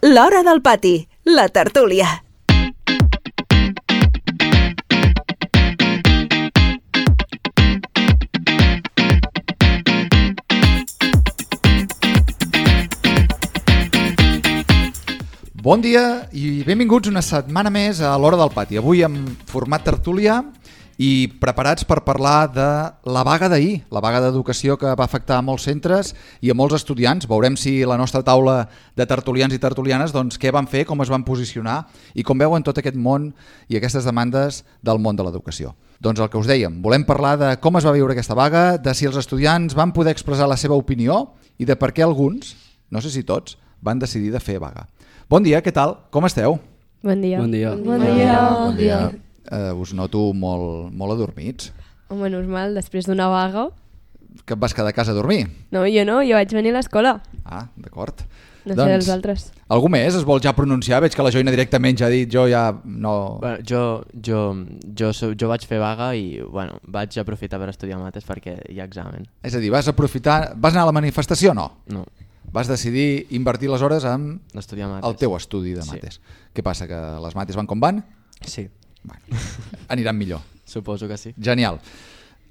L'Hora del Pati, la tertúlia. Bon dia i benvinguts una setmana més a l'Hora del Pati. Avui en format tertúlia i preparats per parlar de la vaga d'ahir, la vaga d'educació que va afectar a molts centres i a molts estudiants. Veurem si la nostra taula de tertulians i tertulianes doncs, què van fer, com es van posicionar i com veuen tot aquest món i aquestes demandes del món de l'educació. Doncs el que us dèiem, volem parlar de com es va viure aquesta vaga, de si els estudiants van poder expressar la seva opinió i de per què alguns, no sé si tots, van decidir de fer vaga. Bon dia, què tal? Com esteu? Bon dia. Bon dia. Bon dia. Bon dia. Us noto molt adormits. Home, normal, després d'una vaga. Que et vas quedar a casa a dormir? No, jo vaig venir a l'escola. Ah, d'acord. No sé dels altres. Algú més es vol ja pronunciar? Veig que la Joina directament ja ha dit, jo ja no... Bueno, jo vaig fer vaga i vaig aprofitar per estudiar mates perquè hi ha examen. És a dir, vas anar a la manifestació o no? No. Vas decidir invertir les hores en estudiar mates. El teu estudi de mates. Sí. Què passa, que les mates van com van? Sí. Bueno, aniran millor. Suposo que sí. Genial.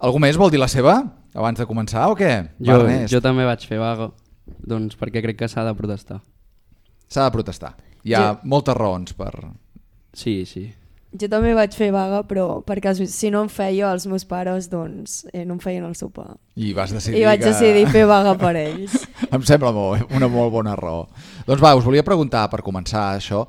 Algú més vol dir la seva abans de començar o què? Jo també vaig fer vaga, doncs perquè crec que s'ha de protestar. S'ha de protestar. Hi ha moltes raons per... Sí. Jo també vaig fer vaga, però perquè si no em feia els meus pares, doncs no em feien el sopar. I vas decidir vaig decidir fer vaga per ells. Em sembla una molt bona raó. Doncs us volia preguntar, per començar això,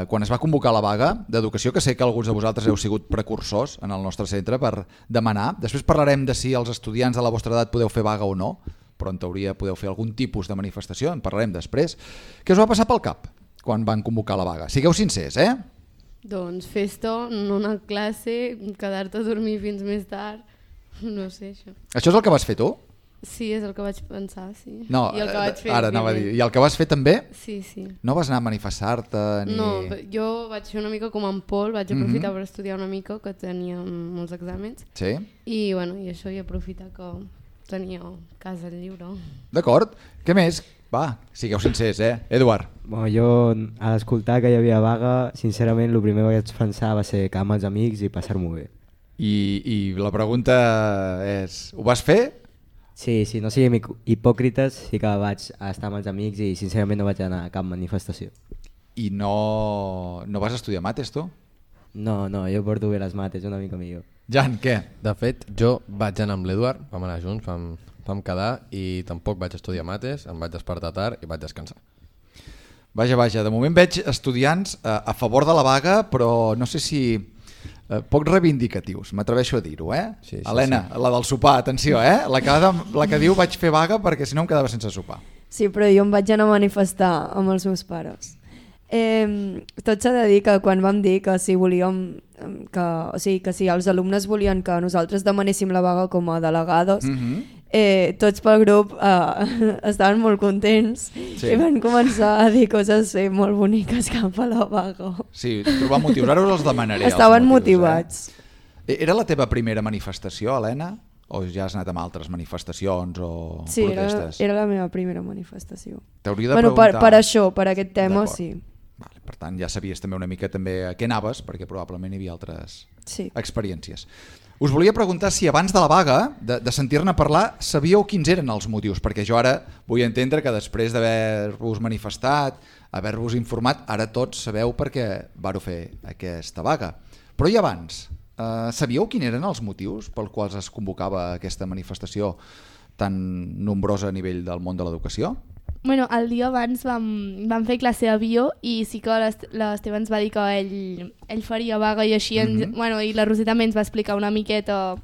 quan es va convocar la vaga d'educació, que sé que alguns de vosaltres heu sigut precursors en el nostre centre per demanar, després parlarem de si els estudiants de la vostra edat podeu fer vaga o no, però en teoria podeu fer algun tipus de manifestació, en parlarem després. Què us va passar pel cap quan van convocar la vaga? Sigueu sincers, eh? Doncs festa, no anar a classe, quedar-te a dormir fins més tard, no sé això. Això és el que vas fer tu? Sí, és el que vaig pensar, sí. No, I el que vaig fer, ara anava a dir. I el que vas fer també? Sí. No vas anar a manifestar-te ni... No, jo vaig fer una mica com en Pol, vaig aprofitar per estudiar una mica, que tenia molts exàmens. Sí. I això, i aprofitar que tenia casa lliure. D'acord. Què més? Va, sigueu sincers, Eduard? Bueno, jo, a l'escoltar que hi havia vaga, sincerament, el primer que vaig pensar va ser quedar amb els amics i passar-m'ho bé. I la pregunta és, ho vas fer? Sí, no siguem hipòcrites, sí que vaig estar amb els amics i sincerament no vaig anar a cap manifestació. I no vas estudiar mates, tu? No, jo porto bé les mates, una mica millor. Jan, què? De fet, jo vaig anar amb l'Eduard, vam anar junts, vam quedar i tampoc vaig estudiar mates, em vaig despertar tard i vaig descansar. Vaja, de moment veig estudiants a favor de la vaga, però no sé si... poc reivindicatius, m'atreveixo a dir-ho, Sí, Helena, la del sopar, atenció, la que diu vaig fer vaga perquè si no em quedava sense sopar. Sí, però jo em vaig anar a manifestar amb els meus pares. Tot s'ha de dir que quan vam dir que si volíem que si els alumnes volien que nosaltres demanéssim la vaga com a delegades, tots pel grup estaven molt contents i van començar a dir coses molt boniques cap a la vaga. Sí, trobar motius, ara us els demanaré. Estaven motivats. Era la teva primera manifestació, Helena? O ja has anat amb altres manifestacions o protestes? Sí, era la meva primera manifestació. T'hauria de preguntar... Per això, per aquest tema, sí. Vale, per tant, ja sabies també una mica també a què anaves, perquè probablement hi havia altres experiències. Us volia preguntar si abans de la vaga, de sentir-ne parlar, sabíeu quins eren els motius, perquè jo ara vull entendre que després d'haver-vos manifestat, haver-vos informat, ara tots sabeu per què vareu fer aquesta vaga. Però i abans, sabíeu quins eren els motius pels quals es convocava aquesta manifestació tan nombrosa a nivell del món de l'educació? Bueno, el dia abans vam fer classe d'avió i sí que l'Esteve ens va dir que ell faria vaga i així, i la Roser també ens va explicar una miqueta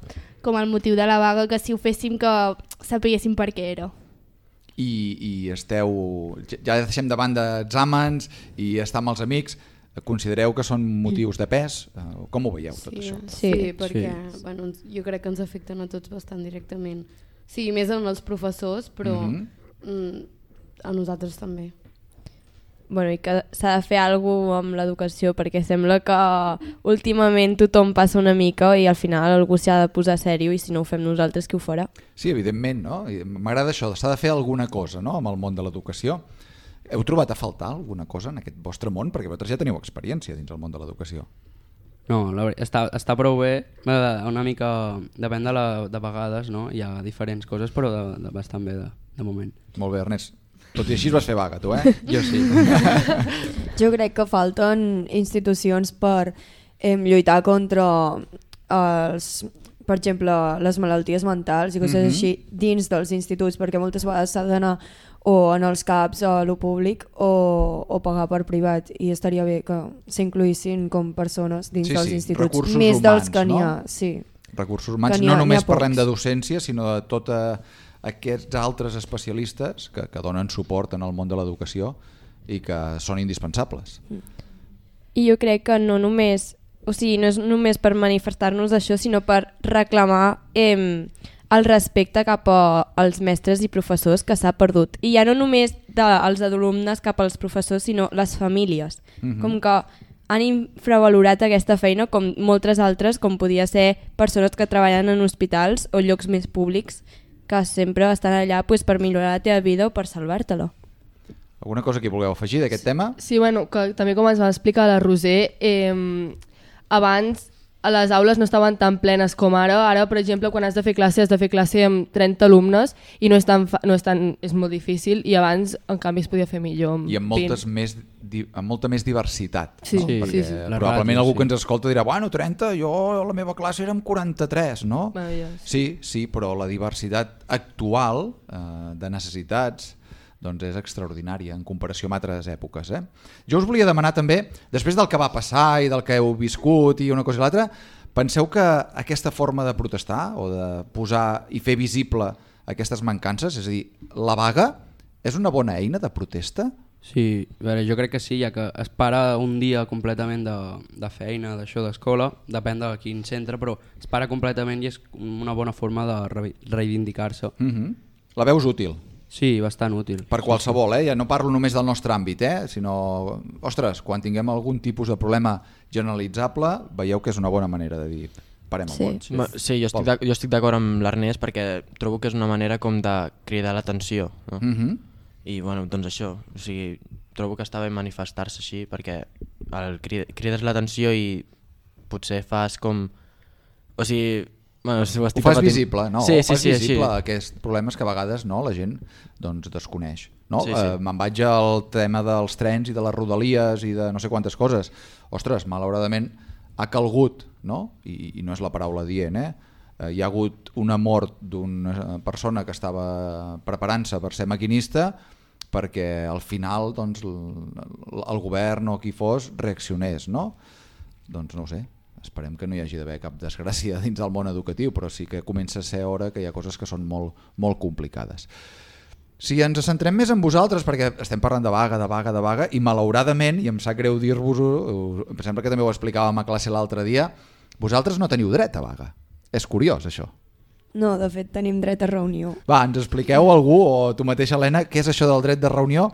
com el motiu de la vaga, que si ho féssim que sapiguéssim per què era. I esteu, ja deixem de banda exàmens i estar amb els amics, considereu que són motius de pes? Com ho veieu tot això? Sí, perquè jo crec que ens afecten a tots bastant directament. Sí, més en els professors, però... a nosaltres també. Bueno, i que s'ha de fer alguna cosa amb l'educació, perquè sembla que últimament tothom passa una mica i al final algú s'ha de posar sèrio i si no ho fem nosaltres, qui ho farà? Sí, evidentment, no? M'agrada això, s'ha de fer alguna cosa, no?, amb el món de l'educació. Heu trobat a faltar alguna cosa en aquest vostre món? Perquè vosaltres ja teniu experiència dins el món de l'educació. No, està prou bé, una mica, depèn de vegades, no? Hi ha diferents coses, però bastant bé de moment. Molt bé, Ernest. Tot i així vas fer vaga, tu, Jo sí. Jo crec que falten institucions per lluitar contra per exemple, les malalties mentals i coses així dins dels instituts, perquè moltes vegades s'ha d'anar o en els CAPs a lo públic o pagar per privat, i estaria bé que s'incloïssin com persones dins dels instituts, recursos més humans, dels que n'hi ha. no? Sí. Recursos humans, no només parlem de docència, sinó de tots aquests altres especialistes que donen suport en el món de l'educació i que són indispensables. I jo crec que no només, o sigui, no és només per manifestar-nos això, sinó per reclamar el respecte cap als mestres i professors que s'ha perdut. I ja no només dels alumnes cap als professors, sinó les famílies. Com que han infravalorat aquesta feina com moltes altres, com podia ser persones que treballen en hospitals o llocs més públics, que sempre estan allà per millorar la teva vida o per salvar-te-la. Alguna cosa que vulgueu afegir d'aquest tema? Sí, bueno, que també com ens va explicar la Roser, abans a les aules no estaven tan plenes com ara. Ara, per exemple, quan has de fer classe amb 30 alumnes i és molt difícil, i abans, en canvi, es podia fer millor amb I amb molta més diversitat. Sí, no? Perquè sí. Probablement algú que ens escolta dirà, bueno, 30, jo a la meva classe érem 43, no? Sí, però la diversitat actual de necessitats doncs és extraordinària en comparació amb altres èpoques. Jo us volia demanar també, després del que va passar i del que heu viscut i una cosa i l'altra, penseu que aquesta forma de protestar o de posar i fer visible aquestes mancances, és a dir, la vaga és una bona eina de protesta? Sí, a veure, jo crec que sí, ja que es para un dia completament de feina, d'això, d'escola, depèn de quin centre, però es para completament i és una bona forma de reivindicar-se. La veus útil? Sí, bastant útil. Per qualsevol, ja no parlo només del nostre àmbit, sinó, ostres, quan tinguem algun tipus de problema generalitzable, veieu que és una bona manera de dir, parem el món. Sí, jo estic d'acord amb l'Ernest perquè trobo que és una manera com de cridar l'atenció, no? I bueno, doncs això, o sigui, trobo que està bé manifestar-se així perquè crides l'atenció i potser fas com... O sigui... Bueno, ho fas visible, no? Sí, fas visible aquests problemes que a vegades la gent desconeix. Me'n vaig al tema dels trens i de les rodalies i de no sé quantes coses. Ostres, malauradament ha calgut, i no és la paraula dient, hi ha hagut una mort d'una persona que estava preparant-se per ser maquinista perquè al final el govern o qui fos reaccionés, no? Doncs no ho sé. Esperem que no hi hagi d'haver cap desgràcia dins del món educatiu, però sí que comença a ser hora que hi ha coses que són molt, molt complicades. Si ens centrem més en vosaltres, perquè estem parlant de vaga, i malauradament, i em sap greu dir-vos-ho, em sembla que també ho explicàvem a classe l'altre dia, vosaltres no teniu dret a vaga. És curiós, això. No, de fet tenim dret a reunió. Va, ens expliqueu algú, o tu mateixa, Helena, què és això del dret de reunió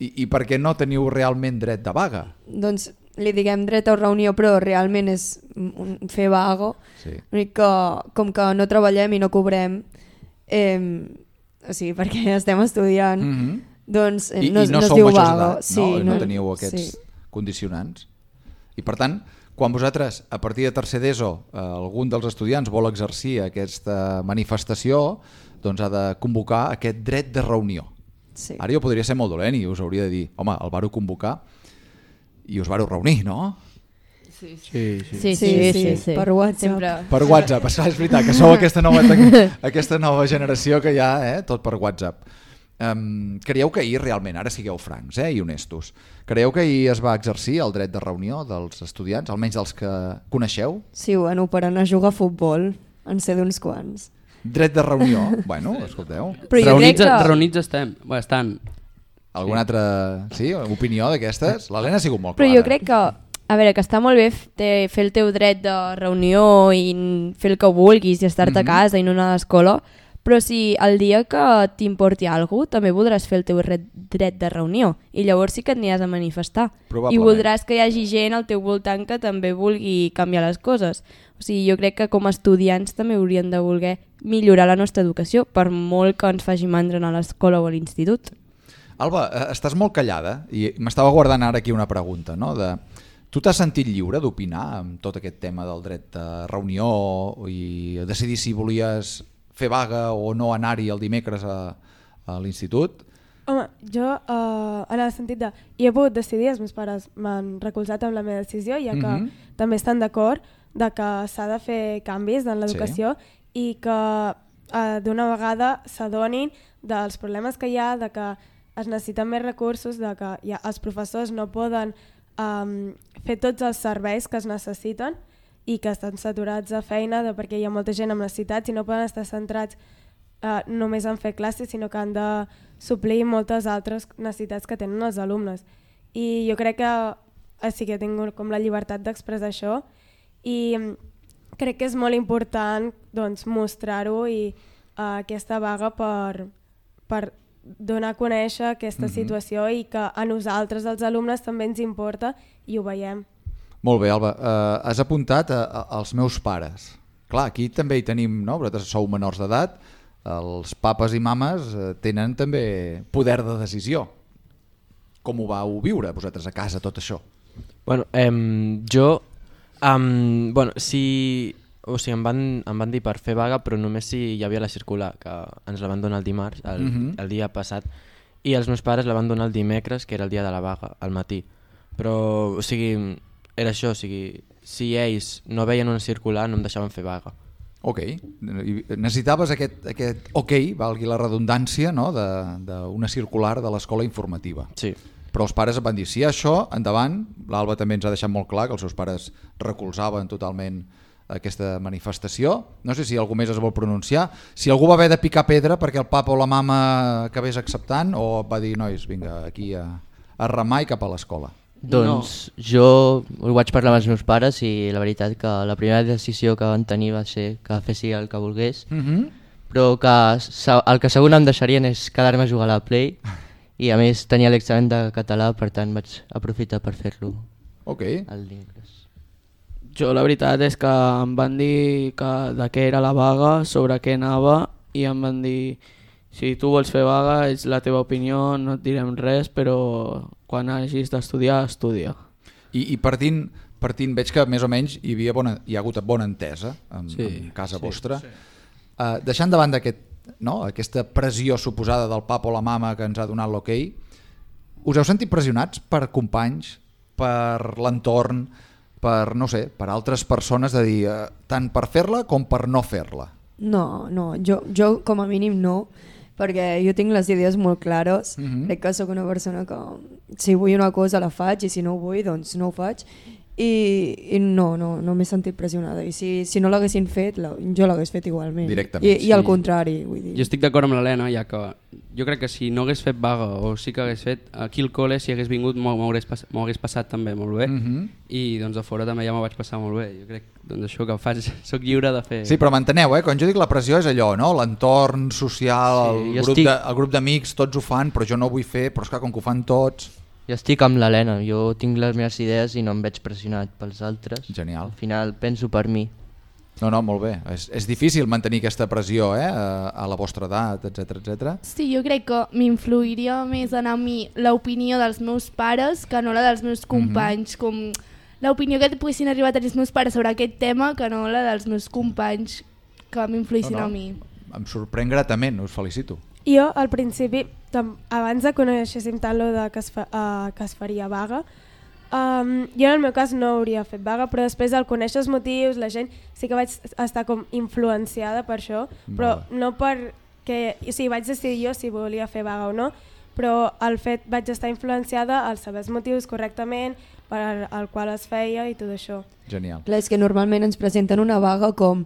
i per què no teniu realment dret de vaga? Doncs li diguem dret a reunió, però realment és fer vaga. Que, com que no treballem i no cobrem, o sigui, perquè estem estudiant, doncs no es diu vaga. No teniu aquests condicionants. I per tant, quan vosaltres, a partir de tercer d'ESO, algun dels estudiants vol exercir aquesta manifestació, doncs ha de convocar aquest dret de reunió. Ara jo podria ser molt dolent i us hauria de dir, home, el varo convocar i us varo reunir, no? Sí. Per WhatsApp. Per WhatsApp, és veritat, que sou aquesta nova generació que hi ha, tot per WhatsApp. Creieu que ahir realment, ara sigueu francs i honestos, creieu que ahir es va exercir el dret de reunió dels estudiants, almenys dels que coneixeu? Sí, bueno, per anar a jugar a futbol, en sé d'uns quants. Dret de reunió? Bueno, escolteu. Reunits estan. Alguna altra opinió d'aquestes? L'Helena ha sigut molt clara. Però jo crec que, a veure, que està molt bé fer el teu dret de reunió i fer el que vulguis i estar-te a casa i no anar a l'escola, però si el dia que t'importi alguna cosa també voldràs fer el teu dret de reunió i llavors sí que et aniràs a manifestar i voldràs que hi hagi gent al teu voltant que també vulgui canviar les coses. O sigui, jo crec que com a estudiants també hauríem de voler millorar la nostra educació, per molt que ens faci mandra anar a l'escola o a l'institut. Alba, estàs molt callada i m'estava guardant ara aquí una pregunta, no? Tu t'has sentit lliure d'opinar amb tot aquest tema del dret de reunió i decidir si volies fer vaga o no anar-hi el dimecres a l'institut? Home, jo en el sentit de... I he pogut decidir, els meus pares m'han recolzat amb la meva decisió, ja que també estan d'acord de que s'ha de fer canvis en l'educació i que d'una vegada s'adonin dels problemes que hi ha, de que es necessiten més recursos, de que els professors no poden fer tots els serveis que es necessiten i que estan saturats de feina perquè hi ha molta gent amb necessitats i no poden estar centrats només en fer classes, sinó que han de suplir moltes altres necessitats que tenen els alumnes. I jo crec que sí que tinc com la llibertat d'expressar això i crec que és molt important doncs, mostrar-ho i aquesta vaga per donar a conèixer aquesta situació i que a nosaltres, els alumnes, també ens importa i ho veiem. Molt bé, Alba. Has apuntat als meus pares. Clar, aquí també hi tenim, no? Vosaltres sou menors d'edat, els papes i mames tenen també poder de decisió. Com ho vau viure vosaltres a casa, tot això? Bueno, O sigui, em van dir per fer vaga, però només si hi havia la circular, que ens la van donar el dimarts, el dia passat, i els meus pares la van donar el dimecres, que era el dia de la vaga, al matí. Però, o sigui, era això, o sigui, si ells no veien una circular no em deixaven fer vaga. Ok, necessitaves aquest ok, valgui la redundància, no? d'una circular de l'escola informativa. Sí. Però els pares van dir, sí, això, endavant. L'Alba també ens ha deixat molt clar que els seus pares recolzaven totalment aquesta manifestació. No sé si algú més es vol pronunciar. Si algú va haver de picar pedra perquè el papa o la mama acabés acceptant, o va dir, nois, vinga, aquí a remar i cap a l'escola. Doncs jo ho vaig parlar amb els meus pares i la veritat que la primera decisió que van tenir va ser que fessi el que volgués, però que el que segur no em deixarien és quedar-me a jugar a la Play i a més tenia l'examen de català, per tant vaig aprofitar per fer-lo el dimecres. Jo la veritat és que em van dir de què era la vaga, sobre què anava, i em van dir si tu vols fer vaga és la teva opinió, no et direm res, però quan hagis d'estudiar, estudia. I partint veig que més o menys hi ha hagut bona entesa en casa vostra. Deixant de banda aquesta pressió suposada del papa o la mama que ens ha donat l'ok, us heu sentit pressionats per companys, per l'entorn, per, no sé, per altres persones, de dir tant per fer-la com per no fer-la? No, jo com a mínim no, perquè jo tinc les idees molt clares, crec que sóc una persona que si vull una cosa la faig i si no ho vull doncs no ho faig i no m'he sentit pressionada i si no l'haguessin fet jo l'hagués fet igualment i al contrari, vull dir. Jo estic d'acord amb l'Helena, ja que jo crec que si no hagués fet vaga o sí que hagués fet aquí al col·le, si hagués vingut m'ho hagués passat també molt bé i doncs a fora també ja m'ho vaig passar molt bé. Jo crec doncs això que faig, soc lliure de fer. Sí, però m'enteneu, quan jo dic la pressió és allò, no? L'entorn social, el grup d'amics, tots ho fan, però jo no ho vull fer, però esclar, com que ho fan tots... Jo estic amb l'Helena, jo tinc les meves idees i no em veig pressionat pels altres. Genial. Al final penso per mi. No, molt bé. És difícil mantenir aquesta pressió a la vostra edat, etc. Sí, jo crec que m'influiria més en a mi l'opinió dels meus pares que no la dels meus companys, com l'opinió que poguessin arribar a tenir els meus pares sobre aquest tema que no la dels meus companys que m'influïssin a mi. Em sorprèn gratament, us felicito. Jo, al principi, abans de conèixer tant lo de que es faria vaga, jo en el meu cas no hauria fet vaga, però després al conèixer els motius, la gent, sí que vaig estar com influenciada per això, però no perquè... O sigui, vaig decidir jo si volia fer vaga o no, però el fet vaig estar influenciada al saber els motius correctament, per al qual es feia i tot això. Genial. Clar, és que normalment ens presenten una vaga com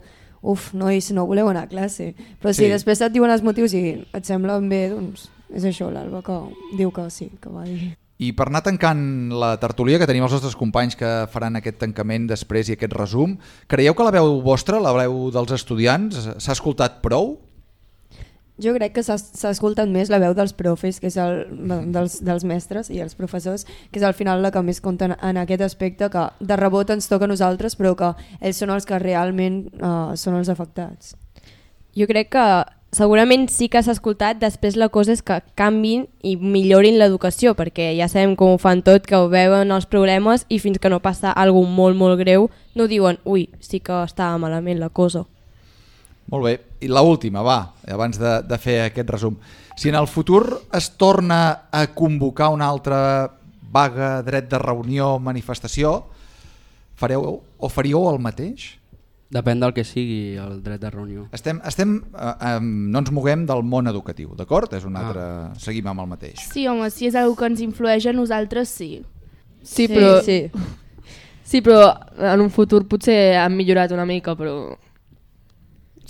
nois, no voleu anar a classe, però si després et diuen els motius i et semblen bé, doncs és això, l'Alba que diu que sí, que va dir. I per anar tancant la tertúlia, que tenim els nostres companys que faran aquest tancament després i aquest resum, creieu que la veu vostra, la veu dels estudiants, s'ha escoltat prou? Jo crec que s'ha escoltat més la veu dels profes, que és dels mestres i els professors, que és al final la que més compta en aquest aspecte, que de rebot ens toca a nosaltres, però que ells són els que realment són els afectats. Jo crec que segurament sí que s'ha escoltat, després la cosa és que canvin i millorin l'educació, perquè ja sabem com ho fan tot, que ho veuen els problemes i fins que no passa alguna molt, molt greu no diuen, ui, sí que estava malament la cosa. Molt bé, i l'última, va, abans de fer aquest resum. Si en el futur es torna a convocar una altra vaga, dret de reunió, manifestació, fareu o faríeu el mateix? Depèn del que sigui el dret de reunió. No ens moguem del món educatiu, d'acord? És un altre... Seguim amb el mateix. Sí, home, si és una que ens influeix a nosaltres, sí. Sí, però en un futur potser han millorat una mica, però...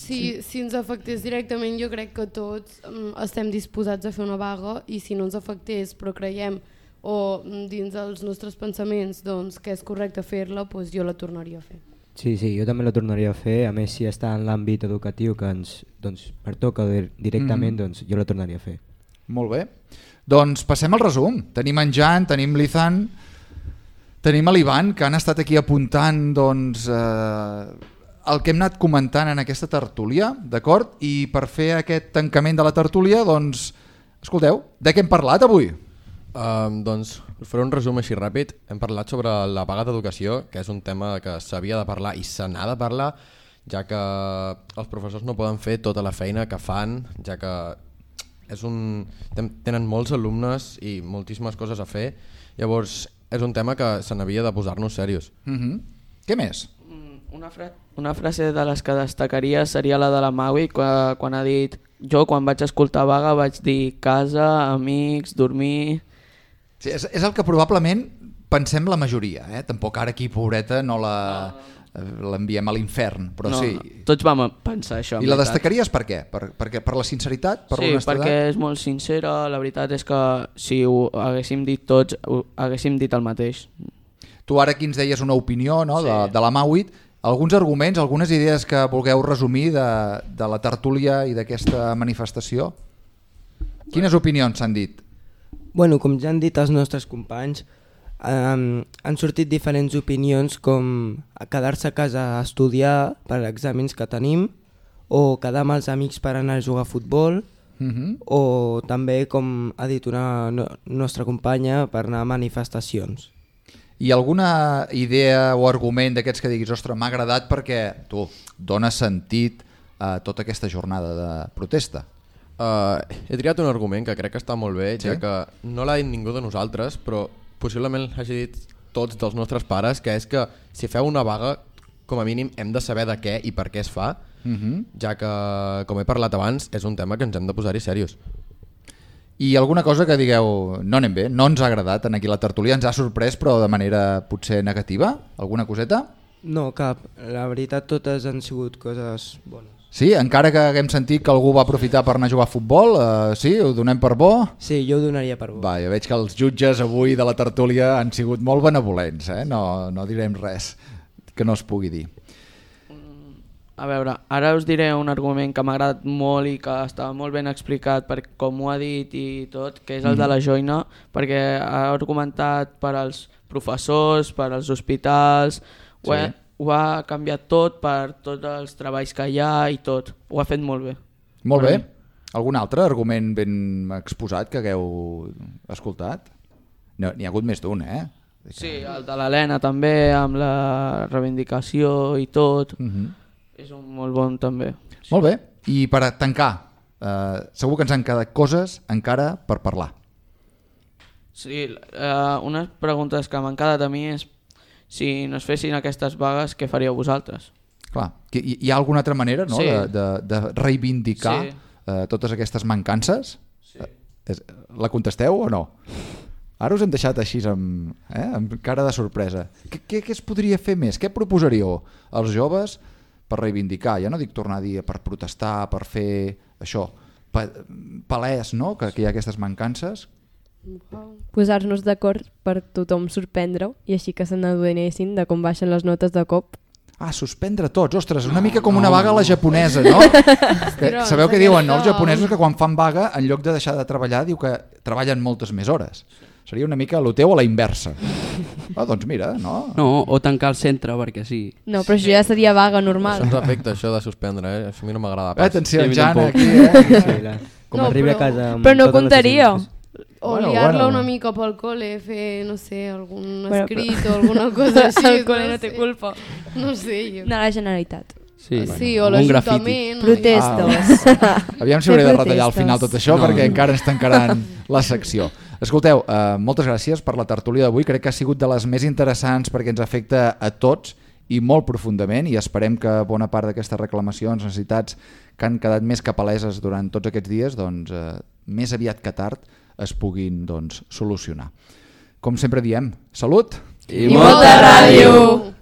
Si ens afectés directament, jo crec que tots estem disposats a fer una vaga, i si no ens afectés però creiem o dins dels nostres pensaments doncs, que és correcte fer-la, doncs jo la tornaria a fer. Sí, jo també la tornaria a fer, a més si està en l'àmbit educatiu que ens pertoca directament, doncs jo la tornaria a fer. Molt bé, doncs passem al resum. Tenim en Jan, tenim l'Izan, tenim l'Ivan, que han estat aquí apuntant doncs, el que hem anat comentant en aquesta tertúlia, d'acord? I per fer aquest tancament de la tertúlia, doncs, escolteu, de què hem parlat avui? Doncs faré un resum així ràpid. Hem parlat sobre la vaga d'educació, que és un tema que s'havia de parlar i se n'ha de parlar, ja que els professors no poden fer tota la feina que fan, ja que tenen molts alumnes i moltíssimes coses a fer. Llavors és un tema que se n'havia de posar-nos serios. Què més? Una frase de les que destacaria seria la de la Maui, quan ha dit: jo quan vaig escoltar vaga vaig dir casa, amics, dormir... Sí, és el que probablement pensem la majoria, tampoc ara aquí, pobreta, no l'enviem a l'infern, però sí. Tots vam pensar això. I la destacaries per què? Per la sinceritat? Per sí, perquè és molt sincera, la veritat és que si ho haguéssim dit tots, ho haguéssim dit el mateix. Tu ara aquí ens deies una opinió, no? De la Mauit, alguns arguments, algunes idees que vulgueu resumir de la tertúlia i d'aquesta manifestació? Quines opinions s'han dit? Bueno, com ja han dit els nostres companys, han sortit diferents opinions com quedar-se a casa a estudiar per exàmens que tenim, o quedar amb els amics per anar a jugar a futbol, o també, com ha dit una nostra companya, per anar a manifestacions. I alguna idea o argument d'aquests que diguis, ostres, m'ha agradat perquè tu dones sentit a tota aquesta jornada de protesta? He triat un argument que crec que està molt bé, ja que no l'ha dit ningú de nosaltres, però possiblement l'hagi dit tots dels nostres pares, que és que si feu una vaga, com a mínim hem de saber de què i per què es fa, ja que, com he parlat abans, és un tema que ens hem de posar-hi serios. I alguna cosa que digueu, no anem bé, no ens ha agradat en aquí la tertúlia, ens ha sorprès però de manera potser negativa? Alguna coseta? No, cap. La veritat totes han sigut coses bones. Sí? Encara que haguem sentit que algú va aprofitar per anar a jugar a futbol, sí? Ho donem per bo? Sí, jo ho donaria per bo. Va, ja veig que els jutges avui de la tertúlia han sigut molt benevolents, no direm res que no es pugui dir. A veure, ara us diré un argument que m'ha agradat molt i que estava molt ben explicat per com ho ha dit i tot, que és el de la joina, perquè ha argumentat per als professors, per als hospitals, ho ha canviat tot per tots els treballs que hi ha i tot. Ho ha fet molt bé. Molt bé. Algun altre argument ben exposat que hagueu escoltat? N'hi ha hagut més d'un, Sí, el de l'Helena també, amb la reivindicació i tot. És un molt bon també. Molt bé. I per tancar, segur que ens han quedat coses encara per parlar. Sí, unes preguntes que m'han quedat a mi és: si no es fessin aquestes vagues, què faríeu vosaltres? Clar, hi ha alguna altra manera de reivindicar totes aquestes mancances? La contesteu o no? Ara us hem deixat així amb cara de sorpresa. Què es podria fer més? Què proposaríeu als joves per reivindicar? Ja no dic tornar a dir per protestar, per fer això, palès, no? Que hi ha aquestes mancances. Posar-nos d'acord per tothom sorprendre-ho i així que se n'adonessin de com baixen les notes de cop. Suspendre tots, ostres, una mica com una vaga a la japonesa, no? Sabeu què diuen, no? Els japonesos que quan fan vaga, en lloc de deixar de treballar, diu que treballen moltes més hores. Seria una mica el teu a la inversa. Doncs mira, no? No, o tancar el centre, perquè sí. No, però això ja seria vaga normal. Això ens afecta, això de suspendre, Això a mi no m'agrada pas. Atenció, Sí, Jan, tampoc. aquí, Com arribi a casa amb Però no totes les comptaria. decisions. O Bueno, liar-la bueno. una mica pel col·le, fer, no sé, algun Bueno, escrit o alguna cosa així. El col·le no té culpa. No sé, jo. No, la Generalitat. Sí, o l'Ajuntament. Protestos. Aviam si hauré de retallar al final tot això, perquè encara ens tancaran la secció. Escolteu, moltes gràcies per la tertúlia d'avui. Crec que ha sigut de les més interessants perquè ens afecta a tots i molt profundament, i esperem que bona part d'aquestes reclamacions, necessitats que han quedat més que paleses durant tots aquests dies, doncs, més aviat que tard es puguin solucionar. Com sempre diem, salut! I molta ràdio!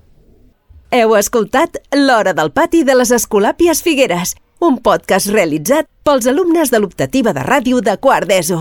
Heu escoltat L'Hora del Pati de les Escolàpies Figueres, un podcast realitzat pels alumnes de l'optativa de ràdio de quart d'ESO.